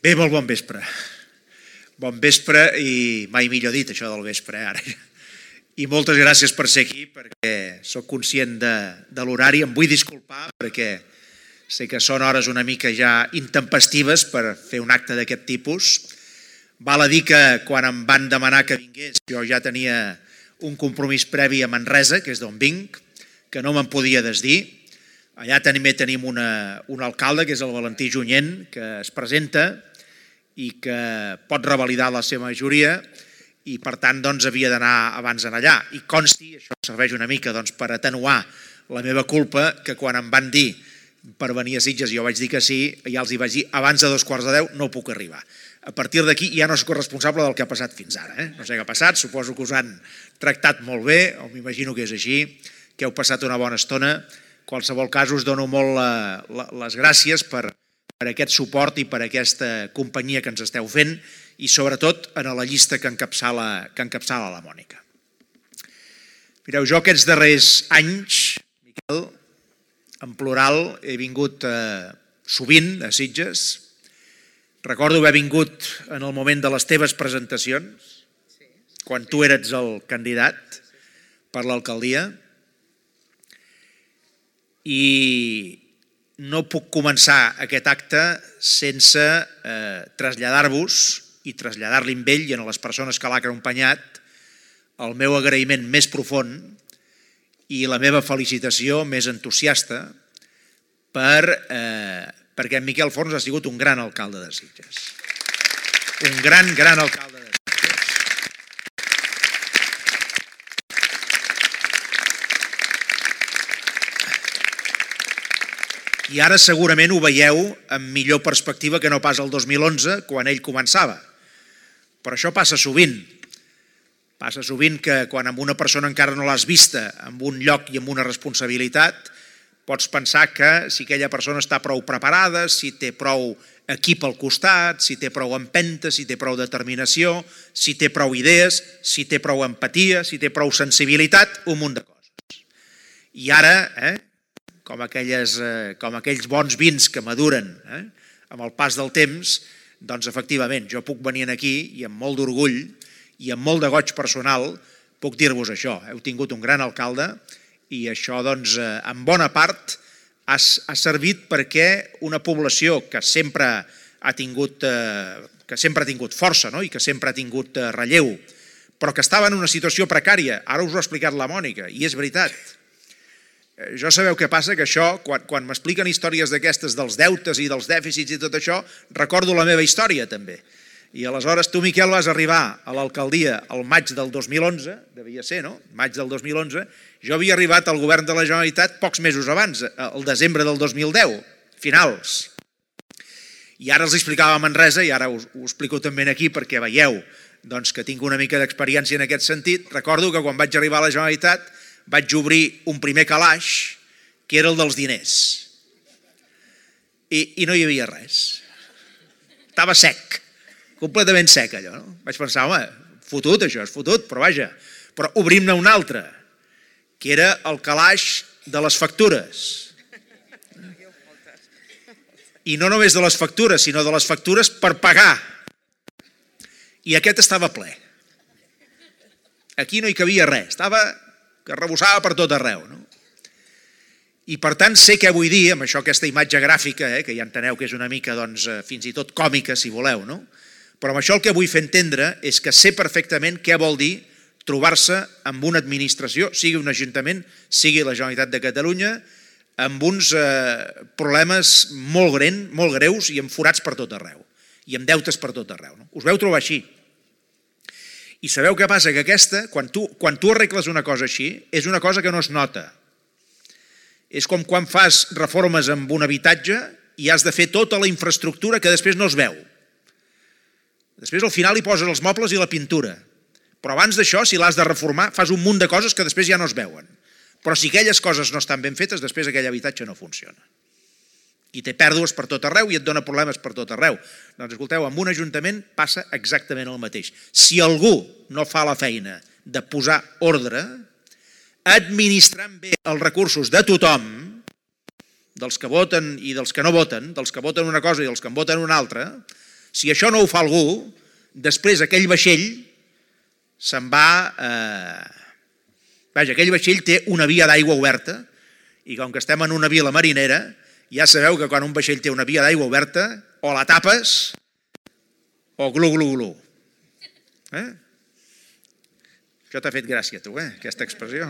Bé, molt bon vespre. Bon vespre i mai millor dit això del vespre ara. I moltes gràcies per ser aquí perquè sóc conscient de l'horari. Em vull disculpar perquè sé que són hores una mica ja intempestives per fer un acte d'aquest tipus. Val a dir que quan em van demanar que vingués jo ja tenia un compromís previ a Manresa, que és d'on vinc, que no me'n podia desdir. Allà també tenim un alcalde, que és el Valentí Junyent, que es presenta i que pot revalidar la seva majoria i per tant havia d'anar abans allà. I consti, això serveix una mica per atenuar la meva culpa, que quan em van dir per venir a Sitges jo vaig dir que sí, ja els hi vaig dir abans de 2:15 no puc arribar. A partir d'aquí ja no soc responsable del que ha passat fins ara. No sé què ha passat, suposo que us han tractat molt bé, o m'imagino que és així, que heu passat una bona estona. En qualsevol cas us dono molt les gràcies per aquest suport i per aquesta companyia que ens esteu fent i sobretot en la llista que encapçala la Mònica. Mireu, jo aquests darrers anys, Miquel, en plural, he vingut sovint a Sitges. Recordo haver vingut en el moment de les teves presentacions, quan tu eres el candidat per l'alcaldia, i no puc començar aquest acte sense traslladar-vos i traslladar-li a ell i a les persones que l'ha acompanyat el meu agraïment més profund i la meva felicitació més entusiasta perquè en Miquel Forns ha sigut un gran alcalde de Sitges. Un gran alcalde de Sitges. I ara segurament ho veieu amb millor perspectiva que no pas el 2011, quan ell començava. Però això passa sovint. Passa sovint que quan amb una persona encara no l'has vista en un lloc i amb una responsabilitat, pots pensar que si aquella persona està prou preparada, si té prou equip al costat, si té prou empenta, si té prou determinació, si té prou idees, si té prou empatia, si té prou sensibilitat, un munt de coses. I ara, com aquells bons vins que maduren amb el pas del temps, doncs efectivament jo puc venir aquí i amb molt d'orgull i amb molt de goig personal puc dir-vos això. Heu tingut un gran alcalde i això doncs en bona part ha servit perquè una població que sempre ha tingut força i que sempre ha tingut relleu, però que estava en una situació precària, ara us ho ha explicat la Mònica i és veritat. Jo sabeu què passa? Que això, quan m'expliquen històries d'aquestes dels deutes i dels dèficits i tot això, recordo la meva història també. I aleshores tu, Miquel, vas arribar a l'alcaldia al maig del 2011, devia ser, no? Maig del 2011. Jo havia arribat al govern de la Generalitat pocs mesos abans, al desembre del 2010, finals. I ara els explicava a Manresa, i ara ho explico també aquí perquè veieu que tinc una mica d'experiència en aquest sentit. Recordo que quan vaig arribar a la Generalitat vaig obrir un primer calaix, que era el dels diners. I no hi havia res. Estava sec, completament sec allò. Vaig pensar, home, fotut això, és fotut, però vaja. Però obrim-ne un altre, que era el calaix de les factures. I no només de les factures, sinó de les factures per pagar. I aquest estava ple. Aquí no hi cabia res, que rebossava per tot arreu. I per tant sé què vull dir amb això, aquesta imatge gràfica, que ja enteneu que és una mica fins i tot còmica, si voleu, però amb això el que vull fer entendre és que sé perfectament què vol dir trobar-se amb una administració, sigui un ajuntament, sigui la Generalitat de Catalunya, amb uns problemes molt greus i amb forats per tot arreu, i amb deutes per tot arreu. Us veu trobar així. I sabeu què passa? Que aquesta, quan tu arregles una cosa així, és una cosa que no es nota. És com quan fas reformes en un habitatge i has de fer tota la infraestructura que després no es veu. Després al final hi poses els mobles i la pintura. Però abans d'això, si l'has de reformar, fas un munt de coses que després ja no es veuen. Però si aquelles coses no estan ben fetes, després aquell habitatge no funciona. I té pèrdues per tot arreu i et dona problemes per tot arreu. Doncs escolteu, amb un ajuntament passa exactament el mateix. Si algú no fa la feina de posar ordre, administrant bé els recursos de tothom, dels que voten i dels que no voten, dels que voten una cosa i dels que en voten una altra, Si això no ho fa algú, després aquell vaixell se'n va... Vaja, aquell vaixell té una via d'aigua oberta i com que estem en una vila marinera, ja sabeu que quan un vaixell té una via d'aigua oberta, o la tapes o glu, glu, glu. Això t'ha fet gràcia, tu, aquesta expressió.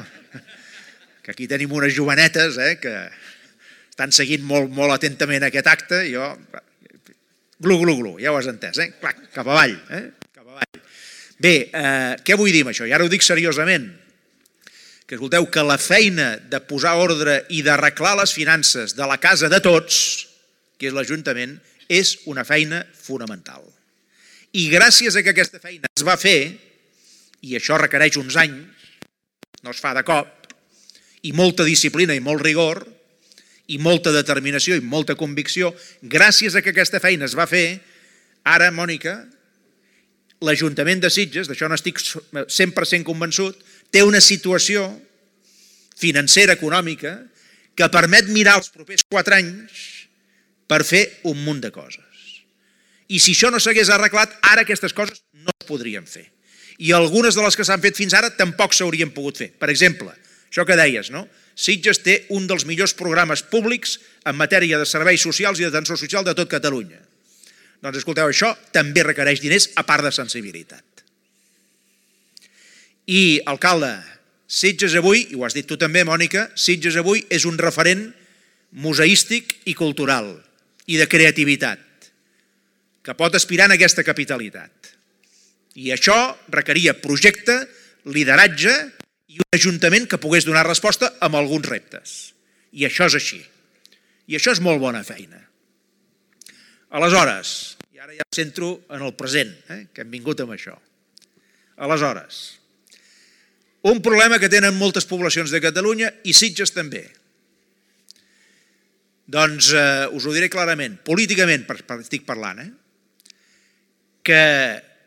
Que aquí tenim unes jovenetes que estan seguint molt, molt atentament aquest acte i jo... Glu, glu, glu, ja ho has entès, Clac, cap avall, cap avall. Bé, què vull dir amb això? I ara ho dic seriosament. Que escolteu, que la feina de posar ordre i d'arreglar les finances de la casa de tots, que és l'Ajuntament, és una feina fonamental. I gràcies a que aquesta feina es va fer, i això requereix uns anys, no es fa de cop, i molta disciplina i molt rigor, i molta determinació i molta convicció, gràcies a que aquesta feina es va fer, ara, Mònica, l'Ajuntament de Sitges, d'això n'estic 100% convençut, té una situació financera, econòmica, que permet mirar els propers 4 anys per fer un munt de coses. I si això no s'hagués arreglat, ara aquestes coses no es podrien fer. I algunes de les que s'han fet fins ara tampoc s'haurien pogut fer. Per exemple, això que deies, no? Sitges té un dels millors programes públics en matèria de serveis socials i d'atenció social de tot Catalunya. Doncs escolteu, això també requereix diners a part de sensibilitat. I, alcalde, Sitges avui, i ho has dit tu també, Mònica, Sitges avui és un referent museístic i cultural i de creativitat que pot aspirar en aquesta capitalitat. I això requeria projecte, lideratge i un ajuntament que pogués donar resposta a alguns reptes. I això és així. I això és molt bona feina. Aleshores, i ara ja em centro en el present, que hem vingut amb això. Aleshores, un problema que tenen moltes poblacions de Catalunya i Sitges també. Doncs us ho diré clarament, políticament estic parlant, que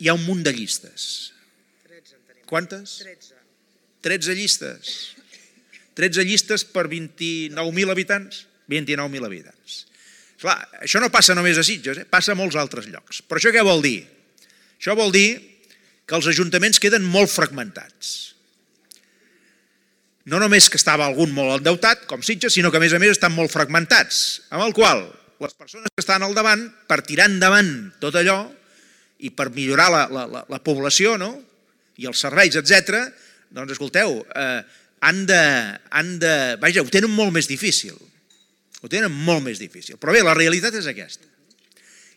hi ha un munt de llistes. 13 en tenim. Quantes? 13. 13 llistes. 13 llistes per 29.000 habitants? 29.000 habitants. Clar, això no passa només a Sitges, passa a molts altres llocs. Però això què vol dir? Això vol dir que els ajuntaments queden molt fragmentats. No només que estava algun molt endeutat, com Sitges, sinó que a més estan molt fragmentats, amb el qual les persones que estan al davant, per tirar endavant tot allò i per millorar la població, no? I els serveis, etc., doncs escolteu, vaja, ho tenen molt més difícil. Ho tenen molt més difícil. Però bé, la realitat és aquesta.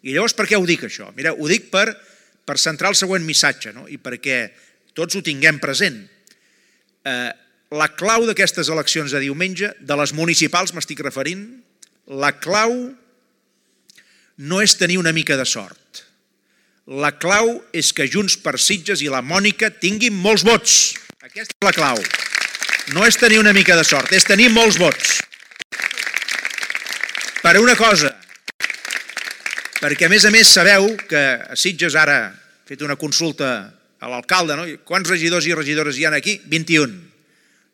I llavors per què ho dic això? Mireu, ho dic per centrar el següent missatge, no? I perquè tots ho tinguem present. La clau d'aquestes eleccions de diumenge, de les municipals m'estic referint, la clau no és tenir una mica de sort. La clau és que Junts per Sitges i la Mònica tinguin molts vots. Aquesta és la clau. No és tenir una mica de sort, és tenir molts vots. Per una cosa, perquè a més sabeu que a Sitges ara he fet una consulta a l'alcalde, no? Quants regidors i regidores hi ha aquí? 21.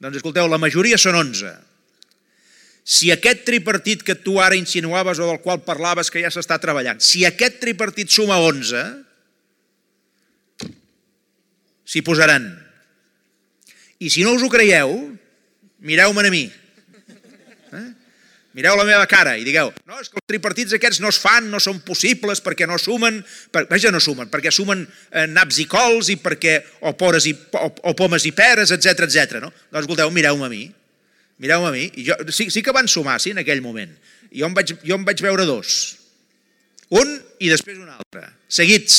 Doncs escolteu, la majoria són 11. Si aquest tripartit que tu ara insinuaves o del qual parlaves que ja s'està treballant, si aquest tripartit suma 11, s'hi posaran. I si no us ho creieu, mireu-me'n a mi. Mireu la meva cara i digueu, no, és que els tripartits aquests no es fan, no són possibles, perquè no sumen, vaja, no sumen, perquè sumen naps i cols i perquè o pomes i peres, etc. No? Doncs escolteu, mireu-me a mi, i sí que van sumar, sí, en aquell moment. Jo en vaig veure 2. Un i després un altre, seguits.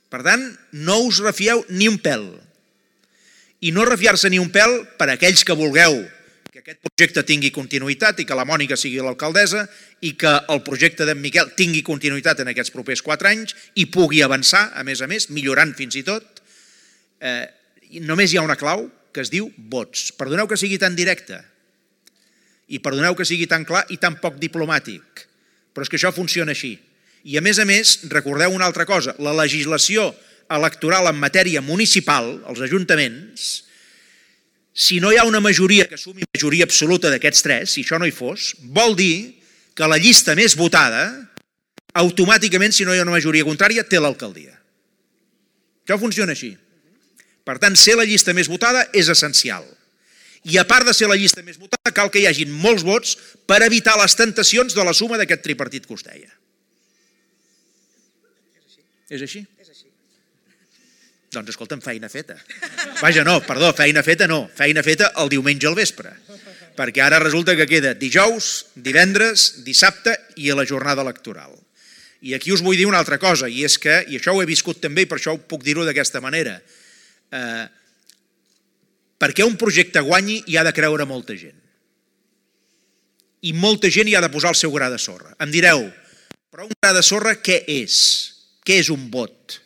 Per tant, no us refieu ni un pèl. I no refiar-se ni un pèl per aquells que vulgueu que aquest projecte tingui continuïtat i que la Mònica sigui l'alcaldessa i que el projecte d'en Miquel tingui continuïtat en aquests propers 4 anys i pugui avançar, a més, millorant fins i tot. Només hi ha una clau que es diu vots. Perdoneu que sigui tan directe i perdoneu que sigui tan clar i tan poc diplomàtic, però és que això funciona així. I a més, recordeu una altra cosa, la legislació electoral en matèria municipal, els ajuntaments, si no hi ha una majoria que sumi majoria absoluta d'aquests 3, si això no hi fos, vol dir que la llista més votada automàticament, si no hi ha una majoria contrària, té l'alcaldia. Això funciona així. Per tant, ser la llista més votada és essencial. I a part de ser la llista més votada, cal que hi hagin molts vots per evitar les tentacions de la suma d'aquest tripartit que us deia. És així? Doncs escolta'm, feina feta. Vaja, no, perdó, feina feta no. Feina feta el diumenge al vespre. Perquè ara resulta que queda dijous, divendres, dissabte i a la jornada electoral. I aquí us vull dir una altra cosa, i és que, i això ho he viscut també, i per això puc dir-ho d'aquesta manera, perquè un projecte guanyi hi ha de creure molta gent. I molta gent hi ha de posar el seu gra de sorra. Em direu, però un gra de sorra què és? Què és un vot?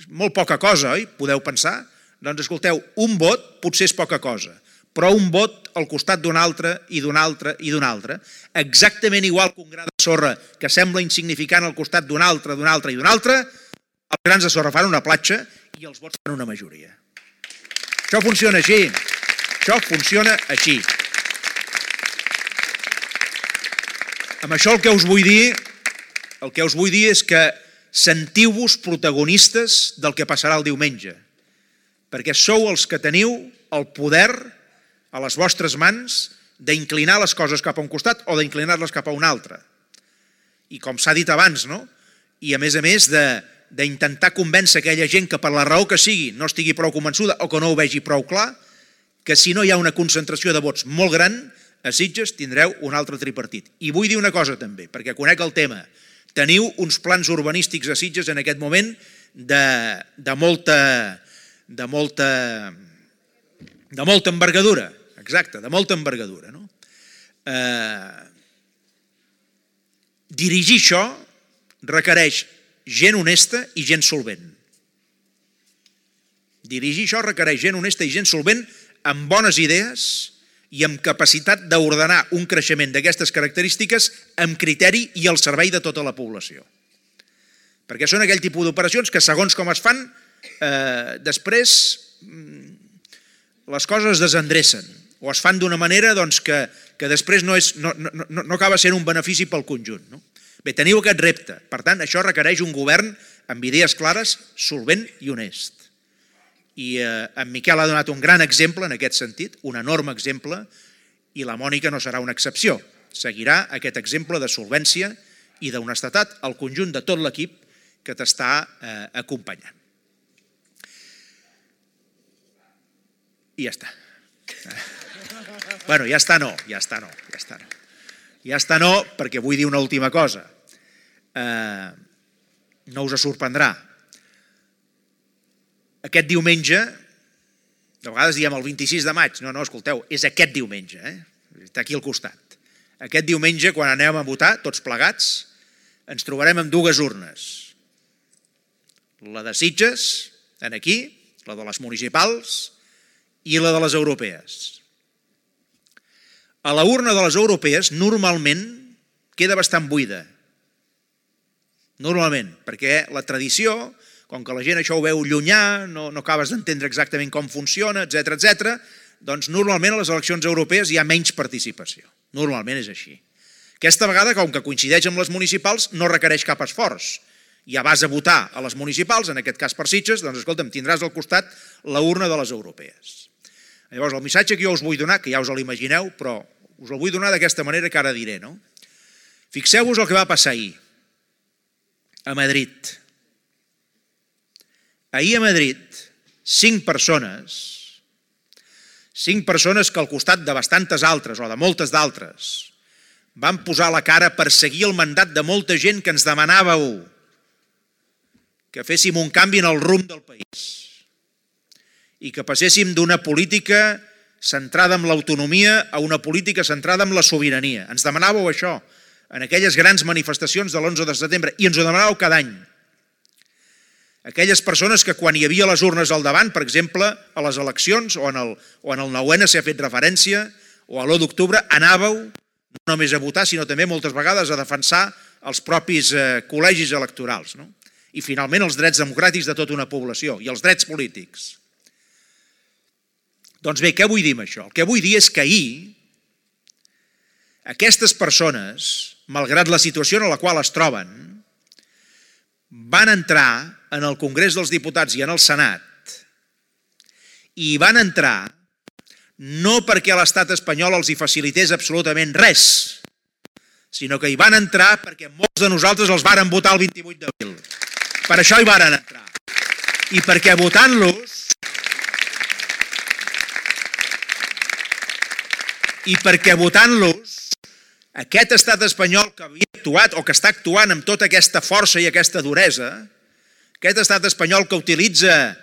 Molt poca cosa, oi? Podeu pensar? Doncs escolteu, un vot potser és poca cosa, però un vot al costat d'un altre i d'un altre i d'un altre, exactament igual que un gra de sorra que sembla insignificant al costat d'un altre, d'un altre i d'un altre, els grans de sorra fan una platja i els vots fan una majoria. Això funciona així. Això funciona així. Amb això el que us vull dir és que sentiu-vos protagonistes del que passarà el diumenge, perquè sou els que teniu el poder a les vostres mans d'inclinar les coses cap a un costat o d'inclinar-les cap a un altre. I com s'ha dit abans, no? I a més d'intentar convèncer aquella gent que per la raó que sigui no estigui prou convençuda o que no ho vegi prou clar, que si no hi ha una concentració de vots molt gran, a Sitges tindreu un altre tripartit. I vull dir una cosa també, perquè conec el tema. Teniu uns plans urbanístics a Sitges en aquest moment de molta envergadura. Exacte, de molta envergadura. No? Dirigir això requereix gent honesta i gent solvent. Dirigir això requereix gent honesta i gent solvent amb bones idees i amb capacitat d'ordenar un creixement d'aquestes característiques amb criteri i al servei de tota la població. Perquè són aquell tipus d'operacions que, segons com es fan, després les coses es desendrecen o es fan d'una manera que després no acaba sent un benefici pel conjunt. Bé, teniu aquest repte. Per tant, això requereix un govern amb idees clares, solvent i honest. I en Miquel ha donat un gran exemple en aquest sentit, un enorme exemple, i la Mònica no serà una excepció. Seguirà aquest exemple de solvència i d'honestedat al conjunt de tot l'equip que t'està acompanyant. I ja està. Bueno, ja està no, perquè vull dir una última cosa. No us sorprendrà. Aquest diumenge, de vegades diem el 26 de maig, no, escolteu, és aquest diumenge, està aquí al costat. Aquest diumenge, quan anem a votar, tots plegats, ens trobarem amb dues urnes. La de Sitges, aquí, la de les municipals i la de les europees. A la urna de les europees normalment queda bastant buida. Normalment, perquè la tradició, com que la gent això ho veu llunyà, no acabes d'entendre exactament com funciona, etc., doncs normalment a les eleccions europees hi ha menys participació. Normalment és així. Aquesta vegada, com que coincideix amb les municipals, no requereix cap esforç. Ja vas a votar a les municipals, en aquest cas per Sitges, doncs escolta'm, tindràs al costat la urna de les europees. Llavors, el missatge que jo us vull donar, que ja us l'imagineu, però us el vull donar d'aquesta manera que ara diré, no? Fixeu-vos el que va passar ahir, a Madrid. Ahir a Madrid, 5 persones que al costat de bastantes altres, o de moltes d'altres, van posar la cara per seguir el mandat de molta gent que ens demanàveu que féssim un canvi en el rumb del país i que passéssim d'una política centrada en l'autonomia a una política centrada en la sobirania. Ens demanàveu això en aquelles grans manifestacions de l'11 de setembre i ens ho demanàveu cada any. Aquelles persones que quan hi havia les urnes al davant, per exemple, a les eleccions o en el 9N s'ha fet referència, o a l'1 d'octubre, anàveu no només a votar, sinó també moltes vegades a defensar els propis col·legis electorals, no? I finalment els drets democràtics de tota una població i els drets polítics. Doncs bé, què vull dir amb això? El que vull dir és que ahir aquestes persones, malgrat la situació en la qual es troben, van entrar en el Congrés dels Diputats i en el Senat i van entrar no perquè l'estat espanyol els hi facilités absolutament res, sinó que hi van entrar perquè molts de nosaltres els varen votar el 28 d'abril. Per això hi varen entrar. I perquè votant-los, aquest estat espanyol que havia actuat o que està actuant amb tota aquesta força i aquesta duresa, aquest estat espanyol que utilitza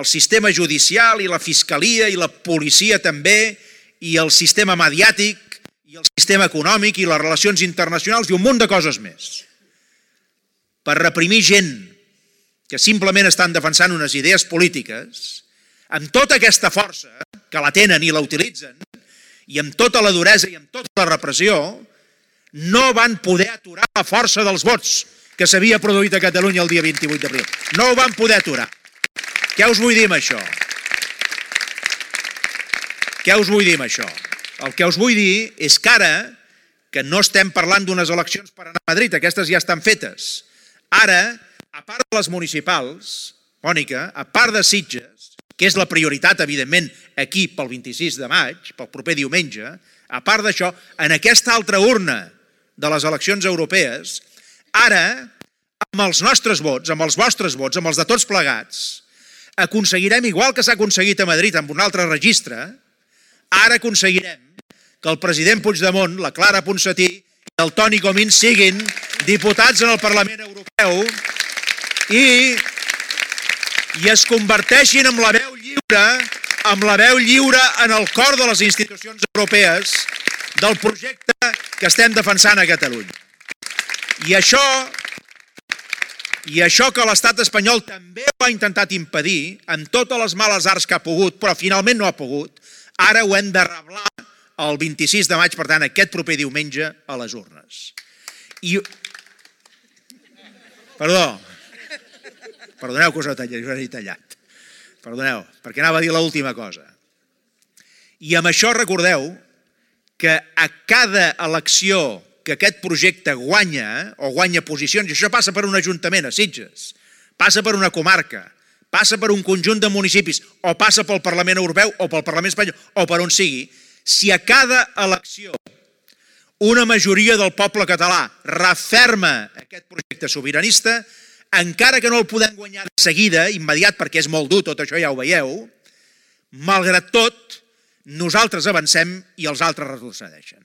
el sistema judicial i la fiscalia i la policia també, i el sistema mediàtic i el sistema econòmic i les relacions internacionals i un munt de coses més, per reprimir gent que simplement estan defensant unes idees polítiques, amb tota aquesta força que la tenen i la utilitzen, i amb tota la duresa i amb tota la repressió, no van poder aturar la força dels vots que s'havia produït a Catalunya el dia 28 d'abril. No ho van poder aturar. Què us vull dir amb això? El que us vull dir és que ara, que no estem parlant d'unes eleccions per anar a Madrid, aquestes ja estan fetes. Ara, a part de les municipals, Mònica, a part de Sitges, que és la prioritat, evidentment, aquí pel 26 de maig, pel proper diumenge, a part d'això, en aquesta altra urna de les eleccions europees, ara, amb els nostres vots, amb els vostres vots, amb els de tots plegats, aconseguirem, igual que s'ha aconseguit a Madrid amb un altre registre, ara aconseguirem que el president Puigdemont, la Clara Ponsatí i el Toni Comín siguin diputats en el Parlament Europeu i es converteixin en la veu lliure en el cor de les institucions europees del projecte que estem defensant a Catalunya. I això que l'estat espanyol també ho ha intentat impedir, amb totes les males arts que ha pogut, però finalment no ha pogut, ara ho hem de reblar el 26 de maig, per tant, aquest proper diumenge, a les urnes. Perdoneu que us he tallat. Perdoneu, perquè anava a dir l'última cosa. I amb això recordeu que a cada elecció que aquest projecte guanya, o guanya posicions, i això passa per un ajuntament a Sitges, passa per una comarca, passa per un conjunt de municipis, o passa pel Parlament Europeu, o pel Parlament Espanyol, o per on sigui, si a cada elecció una majoria del poble català referma aquest projecte sobiranista, encara que no el podem guanyar de seguida, immediat, perquè és molt dur, tot això ja ho veieu, malgrat tot, nosaltres avancem i els altres retrocedeixen.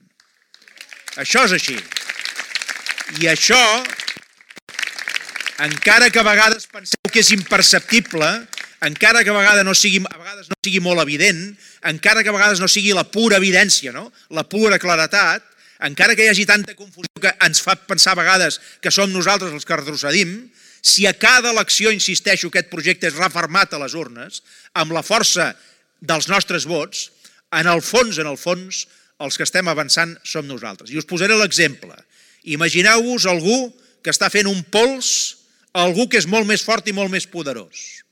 Això és així. I això, encara que a vegades penseu que és imperceptible, encara que a vegades no sigui molt evident, encara que a vegades no sigui la pura evidència, la pura claretat, encara que hi hagi tanta confusió que ens fa pensar a vegades que som nosaltres els que retrocedim, si a cada elecció, insisteixo, aquest projecte és refermat a les urnes, amb la força dels nostres vots, en el fons, els que estem avançant som nosaltres. I us posaré l'exemple. Imagineu-vos algú que està fent un pols a algú que és molt més fort i molt més poderós.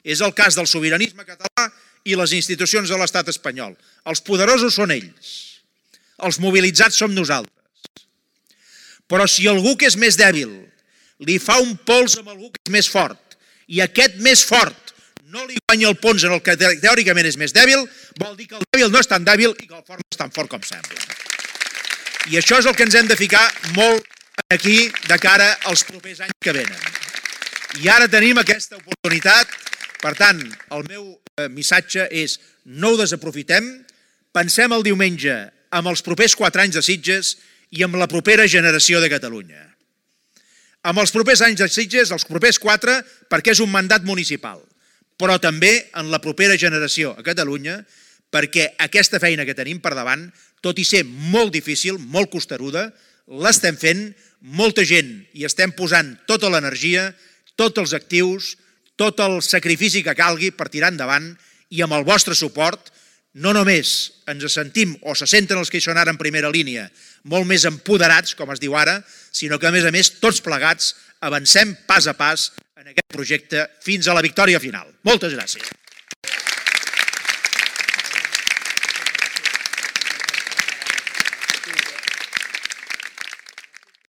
És el cas del sobiranisme català i les institucions de l'estat espanyol. Els poderosos són ells. Els mobilitzats som nosaltres. Però si algú que és més dèbil li fa un pols amb algú que és més fort i aquest més fort no li guanya el pols en el que teòricament és més dèbil, vol dir que el dèbil no és tan dèbil i que el fort no és tan fort com sembla. I això és el que ens hem de ficar molt aquí de cara als propers anys que venen. I ara tenim aquesta oportunitat, per tant, el meu missatge és no ho desaprofitem, pensem el diumenge amb els propers 4 anys de Sitges i amb la propera generació de Catalunya. Amb els propers anys de Sitges, els propers 4, perquè és un mandat municipal, però també en la propera generació a Catalunya, perquè aquesta feina que tenim per davant, tot i ser molt difícil, molt costeruda, l'estem fent, molta gent hi estem posant tota l'energia, tots els actius, tot el sacrifici que calgui per tirar endavant, i amb el vostre suport no només ens sentim o se senten els que hi són ara en primera línia molt més empoderats, com es diu ara, sinó que a més tots plegats avancem pas a pas en aquest projecte fins a la victòria final. Moltes gràcies.